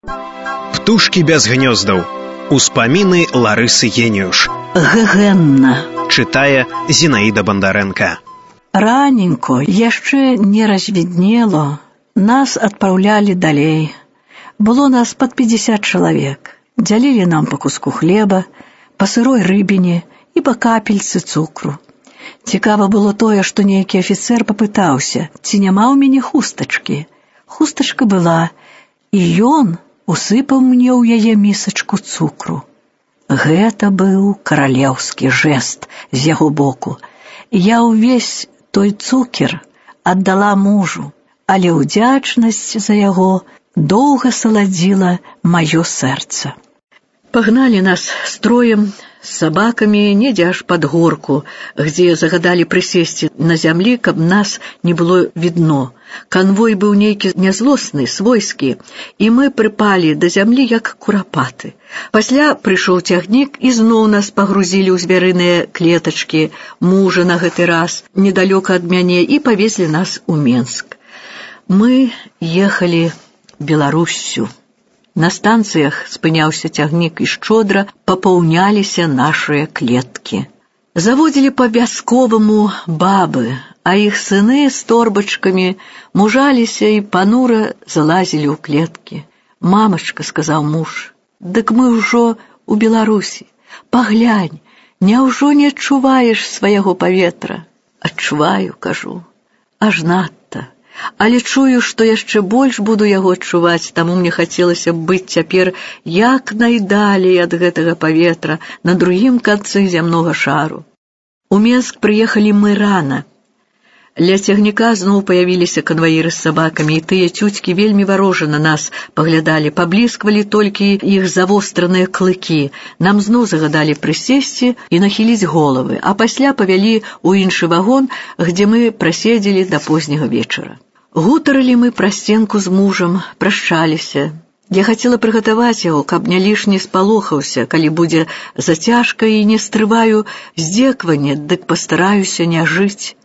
Птушкі без гнёздаў. Успаміны Ларысы Геніюш. Гэгэнна. Чытае Зінаіда Бандарэнка. Раненько, яшчэ не развіднело, нас адпраўлялі далей. Было нас пад 50 чалавек. Дзялілі нам па куску хлеба, па сырой рыбіне і па капельцы цукру. Цікава было тое, што нейкі афіцэр папытаўся, ці няма ў мяне хустачкі. Хустачка была, і ён усыпаў мне ў яе місачку цукру. Гэта быў каралеўскі жэст з яго боку. Я ўвесь той цукер аддала мужу, але ўдзячнасць за яго доўга саладзіла маё сэрца. Пагналі нас строем з сабакамі недзе аж пад горку, где загадалі прысесці на зямлі, каб нас не было відно. Канвой быў нейкі нязлосны, свойскі, і мы прыпалі да зямлі, як курапаты. Пасля прыйшоў цягнік, і зноў нас пагрузілі ў звярыныя клетачкі, мужа на гэты раз, недалёка ад мяне, і павезлі нас у Менск. Мы ехалі Беларуссю. На станцыях спыняўся цягнік, і шчодра папаўняліся нашыя клеткі. Заводзілі па вясковаму бабы, а іх сыны з торбачкамі мужаліся і панура залазілі ў клеткі. «Мамачка», — сказаў муж, — «дык мы ўжо у Беларусі. Паглянь, няўжо не адчуваеш свайго паветра?» «Адчуваю», — кажу, — «аж надта. Але чую, што яшчэ больш буду яго адчуваць, таму мне хацелася б быць цяпер як найдалей ад гэтага паветра на другім канцы зямнога шару». У Менск прыехалі мы рана. Ля цягніка зноў паявіліся канваіры з сабакамі, і тыя цюцькі вельмі варожа на нас паглядалі, паблісквалі толькі іх завостраныя клыкі. Нам зноў загадалі прысесці і нахіліць головы, а пасля павялі ў іншы вагон, где мы праседзелі да позняга вечара. Гутарылі мы пра сценку з мужам, прашчаліся. Я хацела прыгатаваць яго, каб не лішне спалохаўся, калі будзе зацяжка, і не стрываю здзеквання, дык пастараюся не жыць.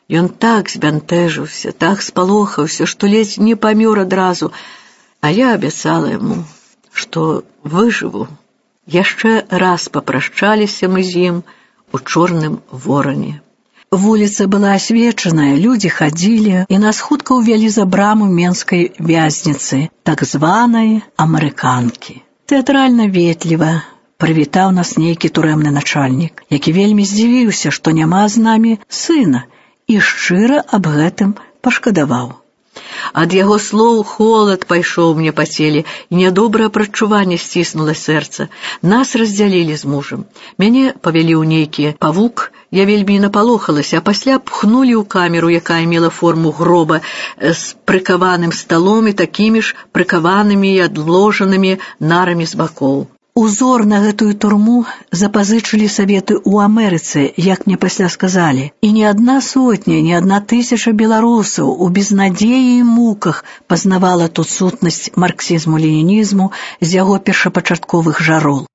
Ён так збянтэжыўся, так спалохаўся, што ледзь не памёр адразу, а я абяцала яму, што выжыву. Яшчэ раз папрашчаліся мы з ім у Чорным Вороне. Вуліца была асвечаная, людзі хадзілі, і нас хутка ўвялі за браму менскай вязніцы, так званай амерыканкі. Тэатральна ветліва прывітаў нас нейкі турэмны начальнік, які вельмі здзівіўся, што няма з намі сына, і шчыра аб гэтым пашкадаваў. Ад яго слоў холад пайшоў мне па целе, і нядобрае прадчуванне сціснула сэрца. Нас раздзялілі з мужам. Мяне павялі ў нейкі павук, я вельмі напалохалася, а пасля пхнулі ў камеру, якая мела форму гроба, з прыкаваным сталом і такімі ж прыкаванымі і адложанымі нарамі з бакоў. Узор на гэтую турму запазычылі саветы ў Амерыцы, як мне пасля сказалі, і не адна сотня, не адна тысяча беларусаў у безнадзеі і муках пазнавала тут сутнасць марксізму-ленінізму з яго першапачатковых жарол.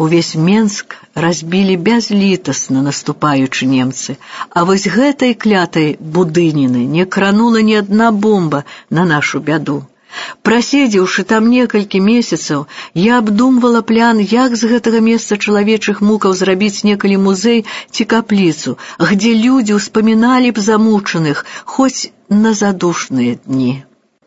Увесь Менск разбілі бязлітасна, наступаючы немцы, а вось гэтай клятай будыніны не кранула ні адна бомба на нашу бяду. Праседзеўшы там некалькі месяцаў, я абдумвала план, як з гэтага месца чалавечых мукаў зрабіць некалі музей ці капліцу, где людзі ўспаміналі б замучаных хоць на задушныя дні.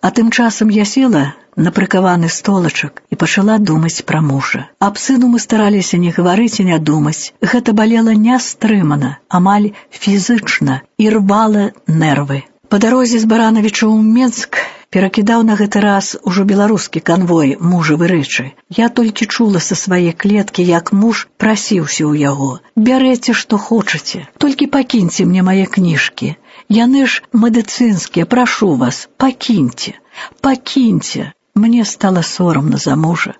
А тым часам я села на прыкаваны столачак і пачала думаць пра мужа. Аб сыну мы стараліся не гаварыць і не думаць. Гэта балела нястрымана, амаль фізычна, і рвала нервы. Па дарозе з Баранавіча ў Менск перакідаў на гэты раз ужо беларускі канвой мужавы рэчы. Я толькі чула са свае клеткі, як муж прасіўся ў яго. «Бярэце, што хочаце, толькі пакіньце мне мае кніжкі. Яны ж медыцынскія, прашу вас, пакіньце, пакіньце». Мне стала сорамна за мужа,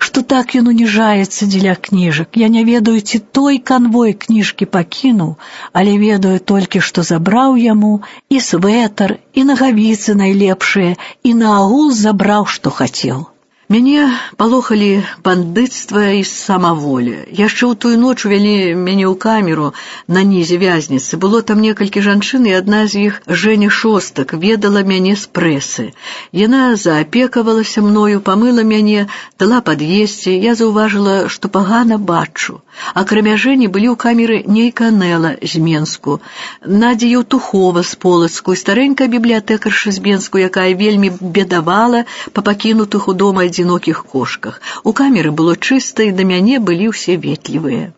што так ён уніжаецца дзеля кніжак. Я не ведаю, ці той канвой кніжкі пакінуў, але ведаю толькі, што забраў яму і свэтар, і нагавіцы найлепшыя, і наогул забраў, што хацеў. Мяне палохалі бандыцтва і самаволя. Яшчэ ў тую ноч увялі мяне ў камеру на нізе вязніцы. Было там некалькі жанчын, і адна з іх, Жэня Шостак, ведала мяне з прэсы. Яна заапекавалася мною, памыла мяне, дала пад'есці. Я заўважыла, што пагана бачу. Акрамя Жэні былі ў камеры нейкая Нэла з Менску, Надзя Еўтухова з Полацку і старэнькая бібліятэкарша з Менску, якая вельмі бедавала па пакінутых у дома адзінокіх кошках. У камеры было чыста, і да мяне былі ўсе ветлівыя.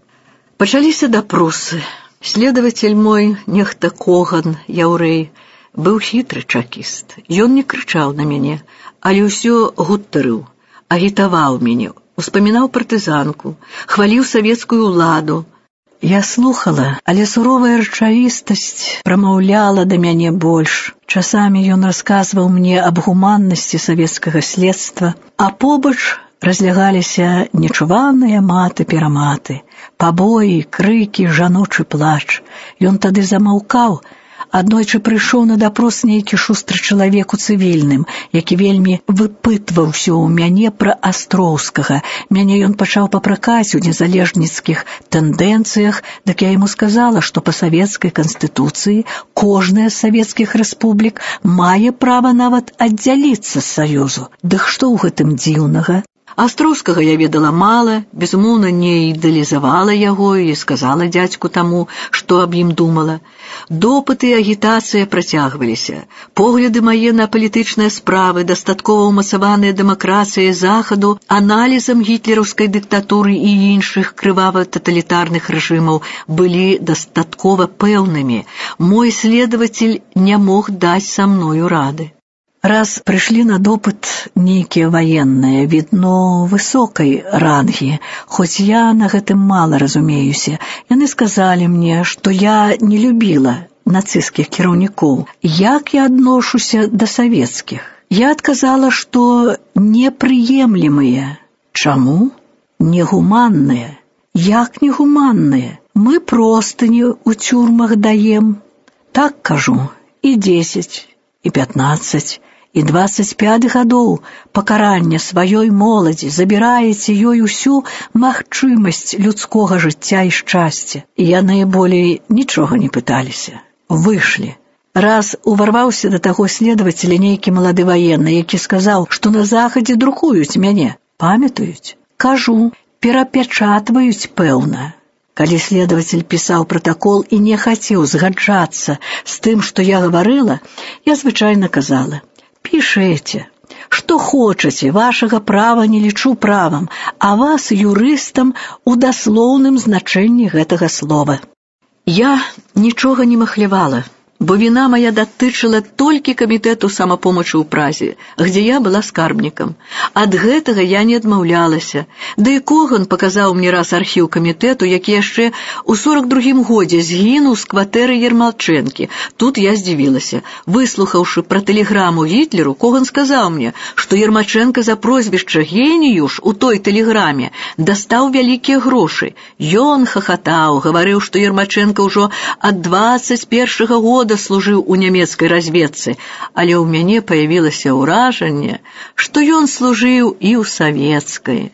Пачаліся допросы. Следователь мой, нехта Коган, яўрэй, быў хітры чакіст. Ён не крычаў на мяне, але ўсё гутарыў, агітаваў мяне, успамінаў партызанку, хваліў савецкую ўладу. Я слухала, але суровая рэчавістасць прамаўляла да мяне больш. Часамі ён расказваў мне аб гуманнасці савецкага следства, а побач разлягаліся нечуваныя маты-пераматы, пабоі, крыкі, жаночы плач. Ён тады замаўкаў. Аднойчы прыйшоў на допрос нейкі шустры чалавек у цывільным, які вельмі выпытваўся ў мяне пра Астроўскага. Мяне ён пачаў папракаць у незалежніцкіх тэндэнцыях, дык я яму сказала, што па савецкай канстытуцыі кожная з савецкіх рэспублік мае права нават аддзяліцца з Саюзу. Дык што ў гэтым дзіўнага? Астроўскага я ведала мала, безумоўна, не ідэалізавала яго і сказала дзядзьку таму, што аб ім думала. Допыты і агітацыя працягваліся. Погляды мае на палітычныя справы, дастаткова ўмацаваныя дэмакратыяй Захаду, аналізам гітлераўскай дыктатуры і іншых крывава-таталітарных рэжымаў былі дастаткова пэўнымі. Мой следователь не мог даць са мною рады. Раз прыйшлі на допыт нейкія ваенныя, відно, высокай рангі, хоць я на гэтым мала разумеюся. Яны сказалі мне, што я не любіла нацысцкіх кіраўнікоў. Як я адношуся да савецкіх? Я адказала, што непрыемлемыя. Чаму? Негуманныя. Як негуманныя? Мы простыні ў цюрмах даем. Так кажу, і 10, і 15, і 25 гадоў пакарання сваёй моладзі, забіраеце ёй усю магчымасць людскога жыцця і шчасця. Яны болей нічога не пыталіся. Вышлі. Раз уварваўся да таго следователя нейкі малады ваенны, які сказаў, што на Захадзе друкуюць мяне. Памятаюць? Кажу, перапячатваюць, пэўна. Калі следователь пісаў пратакол і не хацеў згаджацца з тым, што я гаварыла, я звычайна казала: «Пішэце, што хочаце, вашага права не лічу правам, а вас юрыстам у даслоўным значэнні гэтага слова». Я нічога не махлявала, бо віна моя датычыла толькі камітэту самапомачы ў Празе, где я была скарбнікам. Ад гэтага я не адмаўлялася. Да і Коган паказаў мне раз архіў камітэту, які яшчэ ў 42-м годзе згінуў з кватэры Ермалчэнкі. Тут я здзівілася. Выслухаўшы пра тэлеграму Гітлеру, Коган сказаў мне, што Ермачэнка за прозвішча «Геніюш» у той тэлеграме дастаў вялікія грошы. Ён хахатаў, гаварыў, што Ермачэнка ўжо ад 21-го года служыў у нямецкай разведцы, але ў мяне паявілася ўражанне, што ён служыў і ў савецкай.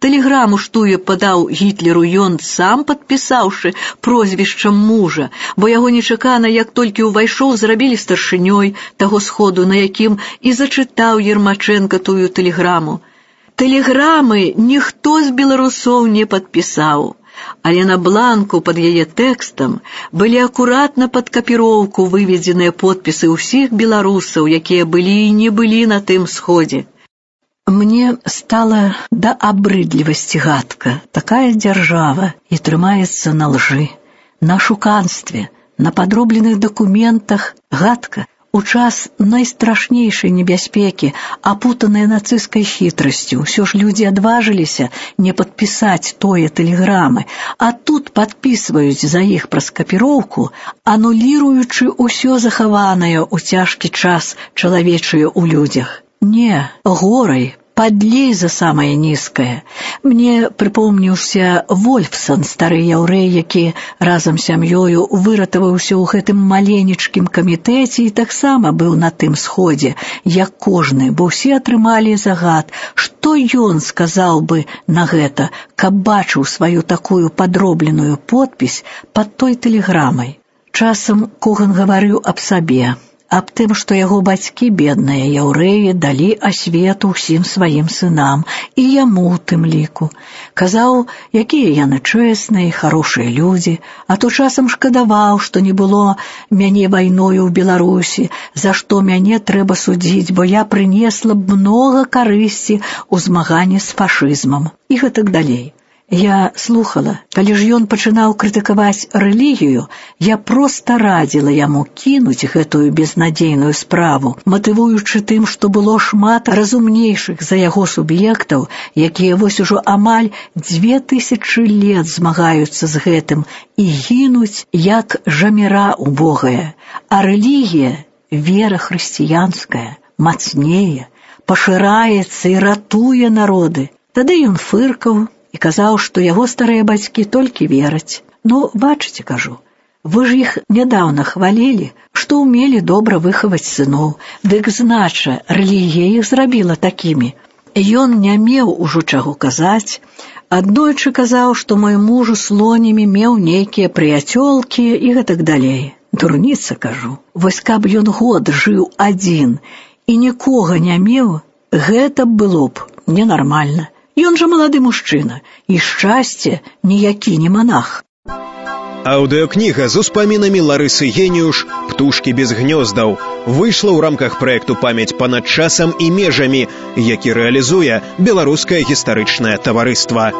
Тэлеграму, што я падаў Гітлеру, ён сам падпісаўшы прозвішчам мужа, бо яго нечакана, як толькі ўвайшоў, зрабілі старшынёй таго сходу, на якім і зачытаў Ермачэнка тую тэлеграму. Тэлеграмы ніхто з беларусоў не падпісаў, але на бланку пад яе тэкстам былі акуратна пад капіроўку выведзеныя подпісы ўсіх беларусаў, якія былі і не былі на тым сходзе. Мне стала да абрыдлівасці гадка. Такая дзяржава і трымаецца на лжы, на шуканстве, на падробленых дакументах. Гадка. У час найстрашнейшай небяспекі, апутаныя нацысцкай хітрасцю, ўсё ж людзі адважыліся не падпісаць тое тэлеграмы, а тут падпісваюць за іх праз капіроўку, ануліруючы ўсё захаванае ў цяжкі час чалавечае ў людзях. Не, горай падлей за самае нізкае. Мне прыпомніўся Вольфсан, стары яўрэй, які разам з сям'ёю выратаваўся ў гэтым маленечкім камітэце і таксама быў на тым сходзе, як кожны, бо ўсе атрымалі загад, што ён сказаў бы на гэта, каб бачыў сваю такую падробленую подпіс пад той тэлеграмай. Часам Коган гаварыў аб сабе, аб тым, што яго бацькі, бедныя яўрэі, далі асвету ўсім сваім сынам, і яму ў тым ліку. Казаў, якія яны чэсныя і харошыя людзі, а то часам шкадаваў, што не было мяне вайною ў Беларусі, за што мяне трэба судзіць, бо я прынесла б многа карысці ў змаганні з фашызмам. І гэтак далей. Я слухала, калі ж ён пачынаў крытыкаваць рэлігію, я проста радзіла яму кінуць гэтую безнадзейную справу, матывуючы тым, што было шмат разумнейшых за яго суб'ектаў, якія вось ужо амаль 2000 лет змагаюцца з гэтым і гінуць, як жаміра убогая. А рэлігія, вера хрысціянская, мацнее, пашыраецца і ратуе народы. Тады ён фыркаў і казаў, што яго старыя бацькі толькі вераць. Ну, бачыце, кажу, вы ж іх нядаўна хвалілі, што ўмелі добра выхаваць сыноў. Дык знача, рэлігія іх зрабіла такімі. Ён не меў ужо чаго казаць. Аднойчы казаў, што мой муж у Слонімі меў нейкія прыяцёлкі і гэтак далей. Дурніца, кажу. Вось каб ён год жыў адзін і нікога не меў, гэта было б ненармальна. Ён жа малады мужчына, і шчасце ніякі не монах. Аўдыокніга з успамінамі Ларысы Геніуш «Птушкі без гнёздаў» выйшла ў рамках праекту «Памяць панад часам і межамі», які рэалізуе Беларускае гістарычнае таварыства.